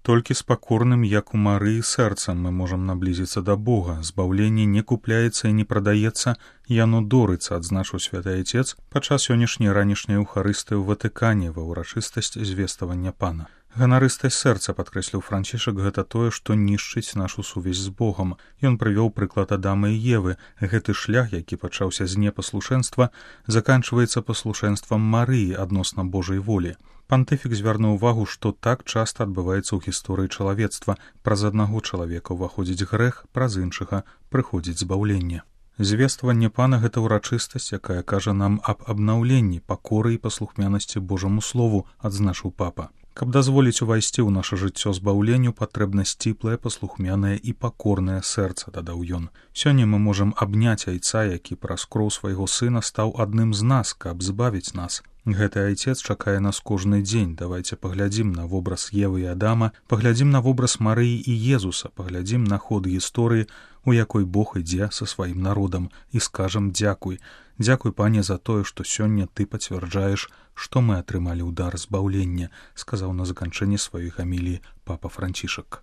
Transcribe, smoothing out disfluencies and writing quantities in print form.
Толькі з пакорным, як у Марыі, сэрцам мы можам наблізіцца да Бога. Збаўленне не купляецца і не прадаецца, яно дорыцца, адзначыў святы Айцец падчас сённяшняй ранішняй эўхарыстыі ў Ватыкане ва ўрачыстасць звествавання Пана. Ганарыстасць сэрца, падкрэсліў Францішак, гэта тое, што нішчыць нашу сувязь з Богам. Ён прывёў прыклад Адама і Евы. Гэты шлях, які пачаўся з непаслушэнства, заканчваецца паслушэнствам Марыі адносна Божай волі. Пантыфік звярнуў увагу, што так часта адбываецца ў гісторыі чалавецтва. Праз аднаго чалавека ўваходзіць грэх, праз іншага прыходзіць збаўленне. Звестваванне Пана — гэта ўрачыстасць, якая кажа нам аб абнаўленні, пакоры і паслухмянасці Божаму слову, адзначыў папа. Каб дазволіць увайсці ў наша жыццё збаўленню, патрэбна сціплае, паслухмянае і пакорнае сэрца, дадаў ён. Сёння мы можам абняць Айца, які праз кроў свайго сына стаў адным з нас, каб збавіць нас. Гэты Айцец чакае нас кожны дзень. Давайце паглядзім на вобраз Евы і Адама, паглядзім на вобраз Марыі і Езуса, паглядзім на ход гісторыі, у якой Бог ідзе са сваім народам, і скажам дзякуй. Дзякуй, Пане, за тое, што сёння ты пацвярджаеш, што мы атрымалі ўдар збаўлення, сказаў на заканчэнні сваёй гаміліі папа Францішак.